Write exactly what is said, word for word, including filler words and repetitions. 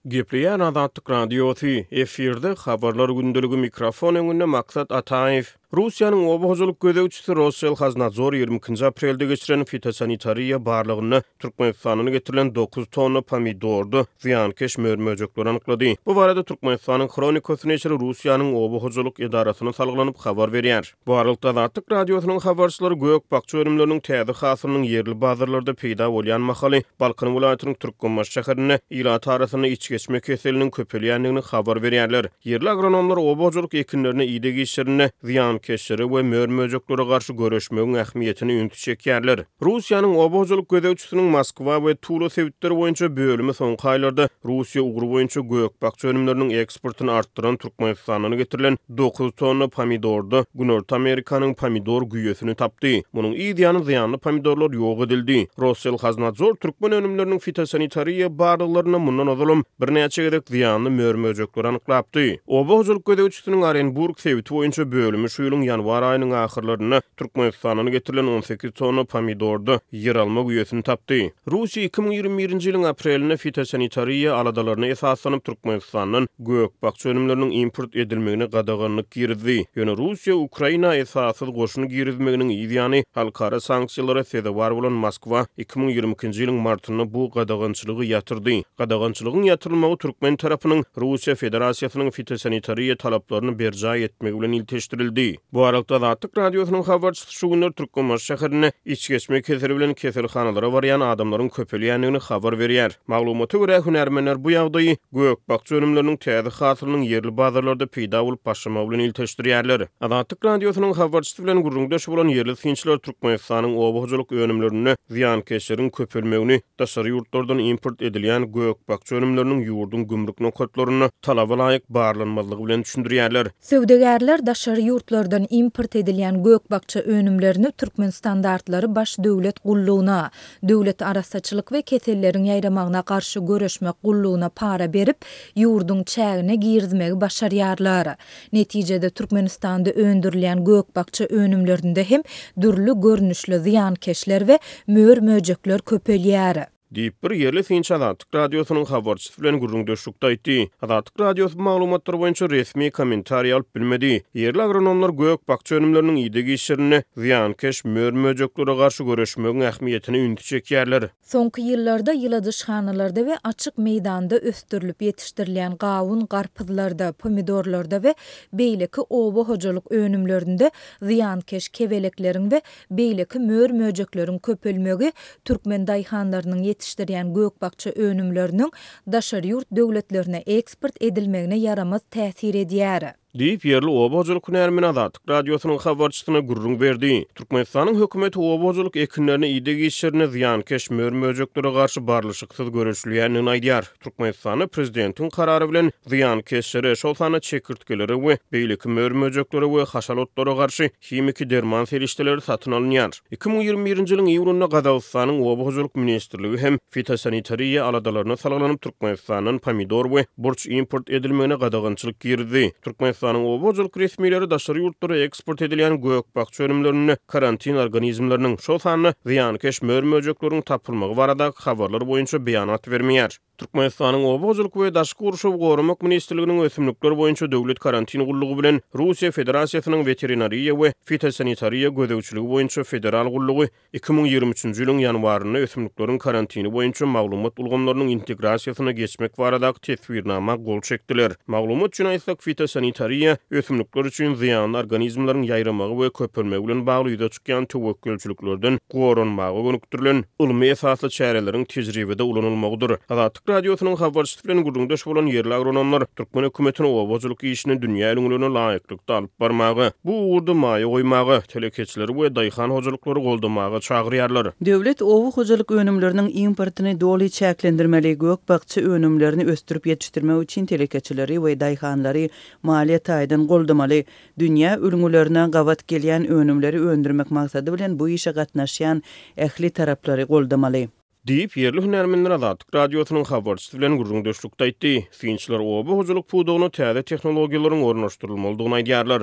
Gepleýär Azatlyk Radiosy, efirde Habarlar gündeligi, mikrofon öňünde Maksat Ataýew. Russiýanyň oba hojalyk gözegçisi Rosselhoznadzor ýigrimi ikinji aprelde geçiren fitosanitariýa barlagynda Türkmenistandan getirilen dokuz tonna pomidorda zyýankeş mör-möjekleri anyklady. Bu barada Türkmenistanyň Hronikasy neşiri Russiýanyň oba hojalyk edarasyna salgylanyp habar berýär. Bu aralykda Azatlyk Radiosynyň habarçylary gök-bakja önümleriniň täze hasylynyň ýerli bazarlarda peýda bolýan mahaly Balkan welaýatynyň Türkmenbaşy şäherinde ilat arasynda içgeçme keseliniň köpelýändigini habar berýärler. Ýerli agronomlar oba hojalyk ekinlerine ideg işlerinde zyýankeşlere we mör-möjeklere garşy göreşmegiň ähmiýetine ünsi çekýärler. Russiýanyň oba hojalyk gözegçisiniň Moskwa we Tula sebitleri boýunça bölümi soňky aýlarda Russiýa ugry boýunça gök-bakja önümleriniň eksportyny artdyran Türkmenistandan getirilen dokuz tonna pomidorda Günorta Amerikanyň pomidor güýesini tapdy. Munuň yz ýany zyýanly pomidorlar ýok edildi. Rosselhoznadzor türkmen önümleriniň fitosanitariýa barlaglarynda mundan ozalam birnäçe gezek zyýanly mör-möjekleri anyklapdy. Oba hojalyk gözegçisiniň Orenburg sebiti boýunça bölümi şu ýylyň ýanwar aýynyň ahyrlarynda Türkmenistandan getirilen on sekiz tonna pomidorda ýeralma güýesini tapdy. Russiýa iki müň ýigrimi birinji ýylyň aprelinde fitosanitariýa aladalaryna esaslanyp Türkmenistandan gök-bakja önümleriniň import edilmegine gadaganlyk girizdi. Ýöne Russiýa Ukraina esassyz goşun girizmeginiň yz ýany halkara sanksiýalara sezewar bolan Moskwa iki müň ýigrimi ikinji ýylyň martynda bu gadagançylygy ýatyrdy. Gadagançylygyň ýatyrylmagy türkmen tarapynyň Russiýa Federasiýasynyň fitosanitariýa talaplaryny berjaý etmegi bilen ilteşdirildi. Bu aralykda Azatlyk Radiosynyň habarçysy şu günler Türkmenbaşy şäherinde içgeçme keseli bilen keselhanalara barýan adamlaryň köpelýändigini habar berýär. Maglumata görä hünärmenler bu ýagdaýy gök-bakja önümleriniň täze hasylynyň ýerli bazarlarda peýda bolup başlamagy bilen ilteşdirýärler. Azatlyk Radiosynyň habarçysy bilen gürrüňdeş bolan ýerli synçylar Türkmenistanyň oba hojalyk önümlerinde zyýankeşleriň köpelmegini daşary ýurtlardan import edilýän gök-bakja önümleriniň ýurduň gümrük nokatlarynda talaba laýyk barlanmazlygy bilen düşündirýärler. Söwdagärler daşary ýurtlardan import edilýän gök-bakja önümlerini Türkmen standartlary baş döwlet gullugyna, döwlet arassaçylyk we keselleriň ýaýramagyna garşy göreşmek gullugyna para berip, ýurduň çägine girizmegi başarýarlar. Netijede Türkmenistanda öndürilýän gök-bakja önümlerinde hem dürli görnüşli zyýankeşler we mör-möjekler köpelýär. Diýip bir ýerli synçy Azatlyk Radiosynyň habarçysy bilen gürrüňdeşlikde aýtdy. Azatlyk Radiosy bu maglumatlar boýunça resmi kommentariý alyp bilmedi. Ýerli agronomlar gök-bakja önümleriniň ideg işlerinde zyýankeş mör-möjeklere garşy göreşmegiň ähmiýetine ünsi çekýärler. Soňky ýyllarda ýyladyşhanalarda we açyk meýdanda ösdürilip ýetişdirilýän gawun garpyzlarda, pomidorlarda we beýleki oba hojalyk önümlerinde zyýankeş kebelekleriň we beýleki mör-möjekleriň köpelmegi türkmen daýhanlarynyň ýetişdirýän gök-bakja önümleriniň daşary ýurt döwletlerine eksport edilmegine ýaramaz täsir edýär. Diýip ýerli oba hojalyk hünärmeni Azatlyk Radiosynyň habarçysyna gürrüň berdi. Türkmenistanyň hökümeti oba hojalyk ekinlerine ideg işlerine zyýankeş mör-möjeklere garşy barlyşyksyz göreşilýändigini aýdýar. Türkmenistanda prezidentiň karary bilen zyýankeşlere, şol sanda çekirtgelere we beýleki mör-möjeklere we haşal otlara garşy himiki derman serişdeleri satyn alynýar. Iki müň ýigrimi birinji ýylyň iýunynda Gazagystanyň Oba hojalyk ministrligi hem fitosanitariýa aladalaryna salgylanyp Türkmenistandan pomidor we burç import edilmegine gadagançylyk girizdi. Türkmenistanyň oba hojalyk resmileri daşary ýurtlara eksport edilýän gök-bakja önümlerinde karantin organizmleriniň, şol sanda zyýankeş mör-möjekleriň tapylmagy baradaky habarlar boýunça beýanat bermeýär. Türkmenistanyň Oba hojalyk we daşky gurşawy goramak ministrliginiň ösümlikler boýunça döwlet karantin gullugy bilen Russiýa Federasiýasynyň veterinariýa we fitosanitariýa gözegçiligi boýunça federal gullugy iki müň ýigrimi üçünji ýylyň ýanwarynda ösümlikleriň karantini boýunça maglumat ulgamlarynyň integrasiýasyna geçmek baradaky teswirnama gol çekdiler. Maglumat üçin aýtsak, fitosanitariýa ösümlikler üçin zyýanly organizmleriň ýaýramagy we köpelmegi bilen bagly ýüze çykýan töwekgelçiliklerden goranmaga gönükdirilen ylmy esasly çäreleriň tejribede ulanylmagydyr. Azatlyk Radiosynyň habarçysy bilen gürrüňdeş bolan ýerli agronomlar türkmen hökümetini oba hojalyk işini dünýä ülňülerine laýyklykda alyp barmaga, bu ugurda maýa goýmaga, telekeçileri we daýhan hojalyklary goldamaga çagyrýarlar. Döwlet oba hojalyk önümleriniň importyny doly çäklendirmeli, gök-bakja önümlerini ösdürip ýetişdirmek üçin telekeçileri we daýhanlary maliýe taýdan goldamaly, dünýä ülňülerine gabat gelýän önümleri öndürmek maksady bilen bu işe gatnaşýan ähli taraplary goldamaly. Diýip ýerli hünärmenler Azatlyk Radiosynyň habarçysy bilen gürrüňdeşlikde aýtdy. Synçylar oba hojalyk pudagyna täze tehnologiýalaryň ornaşdyrylmalydygyny aýdýarlar.